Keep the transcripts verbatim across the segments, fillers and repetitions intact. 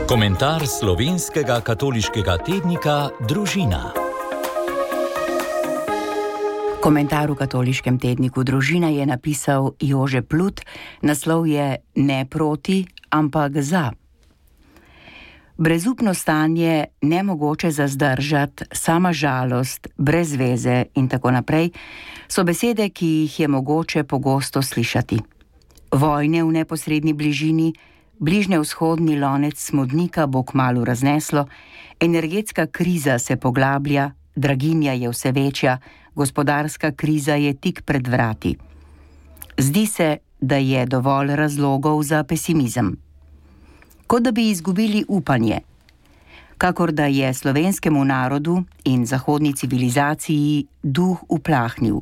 Komentar slovenskega katoliškega tednika Družina. Komentar v katoliškem tedniku Družina je napisal Jože Plut, naslov je Ne proti, ampak za. Brezupno stanje, nemogoče zazdržati, sama žalost, brez veze in tako naprej, so besede, ki jih je mogoče pogosto slišati. Vojne v neposredni bližini, bližnjevzhodni lonec smodnika bo kmalu razneslo, energetska kriza se poglablja, draginja je vse večja, gospodarska kriza je tik pred vrati. Zdi se, da je dovolj razlogov za pesimizem. Kot da bi izgubili upanje, kakor da je slovenskemu narodu in zahodni civilizaciji duh uplahnil.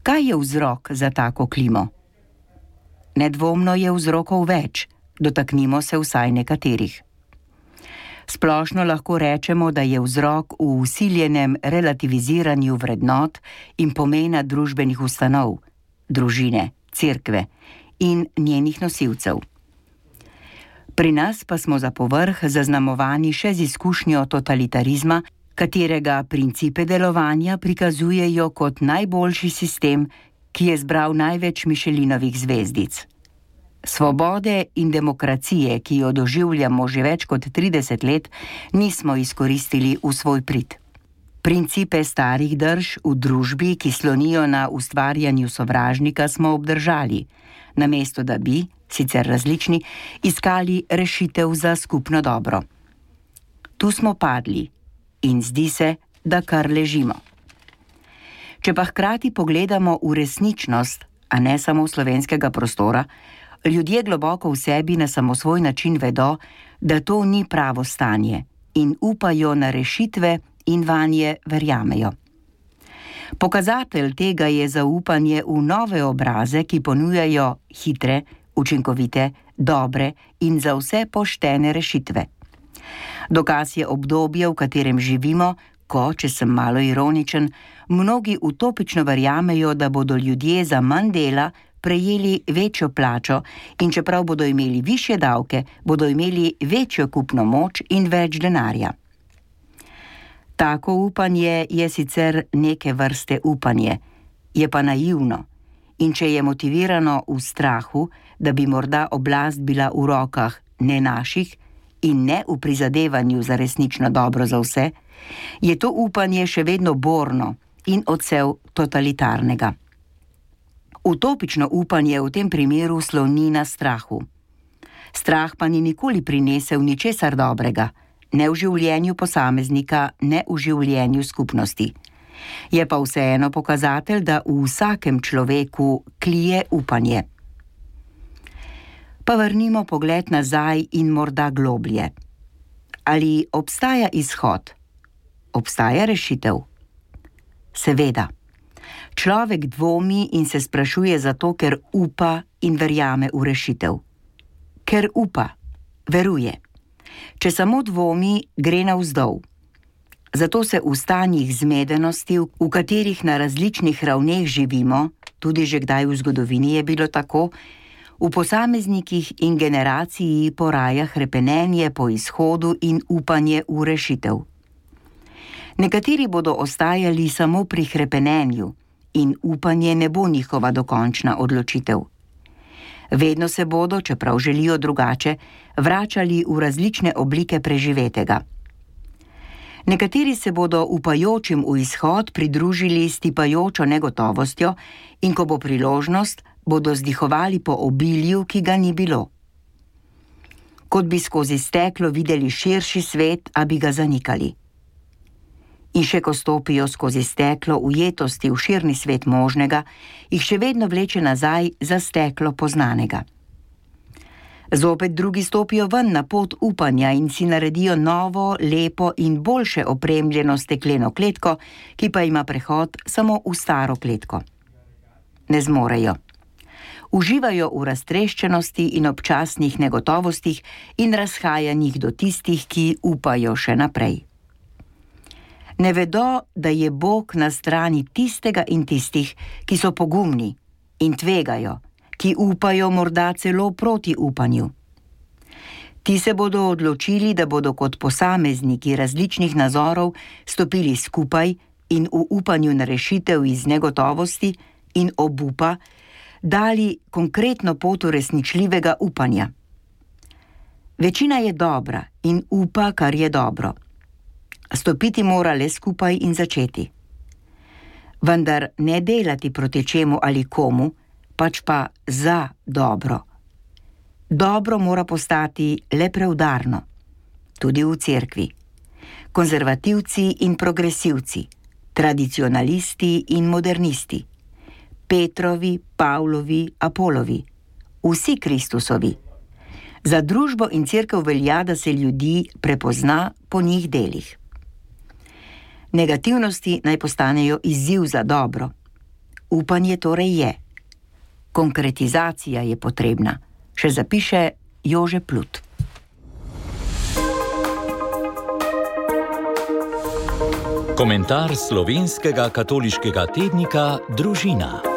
Kaj je vzrok za tako klimo? Nedvomno je vzrokov več, dotaknimo se vsaj nekaterih. Splošno lahko rečemo, da je vzrok v vsiljenem relativiziranju vrednot in pomena družbenih ustanov, družine, cerkve in njenih nosilcev. Pri nas pa smo za povrh zaznamovani še z izkušnjo totalitarizma, katerega principe delovanja prikazujejo kot najboljši sistem, ki je zbral največ Mišelinovih zvezdic. Svobode in demokracije, ki jo doživljamo že več kot trideset let, nismo izkoristili v svoj prid. Principe starih drž v družbi, ki slonijo na ustvarjanju sovražnika, smo obdržali, namesto da bi, sicer različni, iskali rešitev za skupno dobro. Tu smo padli in zdi se, da kar ležimo. Če pa hkrati pogledamo v resničnost, a ne samo slovenskega prostora, ljudje globoko v sebi na samosvoj način vedo, da to ni pravo stanje in upajo na rešitve in vanje verjamejo. Pokazatelj tega je zaupanje v nove obraze, ki ponujajo hitre, učinkovite, dobre in za vse poštene rešitve. Dokaz je obdobje, v katerem živimo, ko, če sem malo ironičen, mnogi utopično verjamejo, da bodo ljudje za manj dela prejeli večjo plačo in čeprav bodo imeli višje davke, bodo imeli večjo kupno moč in več denarja. Tako upanje je sicer neke vrste upanje, je pa naivno in če je motivirano v strahu, da bi morda oblast bila v rokah ne naših in ne v prizadevanju za resnično dobro za vse, je to upanje še vedno borno in odsev totalitarnega. Utopično upanje v tem primeru sloni na strahu. Strah pa ni nikoli prinesel ničesar dobrega, ne v življenju posameznika, ne v življenju skupnosti. Je pa vseeno pokazatelj, da v vsakem človeku klije upanje. Pa vrnimo pogled nazaj in morda globlje. Ali obstaja izhod? Obstaja rešitev? Seveda. Človek dvomi in se sprašuje zato, ker upa in verjame v rešitev. Ker upa, veruje. Če samo dvomi, gre navzdol. Zato se v stanjih zmedenosti, v katerih na različnih ravneh živimo, tudi že kdaj v zgodovini je bilo tako, v posameznikih in generaciji poraja hrepenenje po izhodu in upanje v rešitev. Nekateri bodo ostajali samo pri hrepenenju in upanje ne bo njihova dokončna odločitev. Vedno se bodo, čeprav želijo drugače, vračali v različne oblike preživetega. Nekateri se bodo upajočim v izhod pridružili s tipajočo negotovostjo in ko bo priložnost, bodo zdihovali po obilju, ki ga ni bilo. Kot bi skozi steklo videli širši svet, a bi ga zanikali. In še ko stopijo skozi steklo ujetosti v širni svet možnega, jih še vedno vleče nazaj za steklo poznanega. Zopet drugi stopijo ven na pot upanja in si naredijo novo, lepo in boljše opremljeno stekleno kletko, ki pa ima prehod samo v staro kletko. Ne zmorejo. Uživajo v raztreščenosti in občasnih negotovostih in razhajanjih do tistih, ki upajo še naprej. Ne vedo, da je Bog na strani tistega in tistih, ki so pogumni in tvegajo, ki upajo morda celo proti upanju. Ti se bodo odločili, da bodo kot posamezniki različnih nazorov stopili skupaj in v upanju na rešitev iz negotovosti in obupa dali konkretno pot uresničljivega upanja. Večina je dobra in upa, kar je dobro. Stopiti mora le skupaj in začeti. Vendar ne delati proti čemu ali komu, pač pa za dobro. Dobro mora postati le preudarno, tudi v cerkvi. Konzervativci in progresivci, tradicionalisti in modernisti, Petrovi, Pavlovi, Apolovi, vsi Kristusovi. Za družbo in cerkev velja, da se ljudi prepozna po njih delih. Negativnosti naj postanejo izziv za dobro. Upanje torej je. Konkretizacija je potrebna, še zapiše Jože Plut. Komentar slovenskega katoliškega tednika Družina.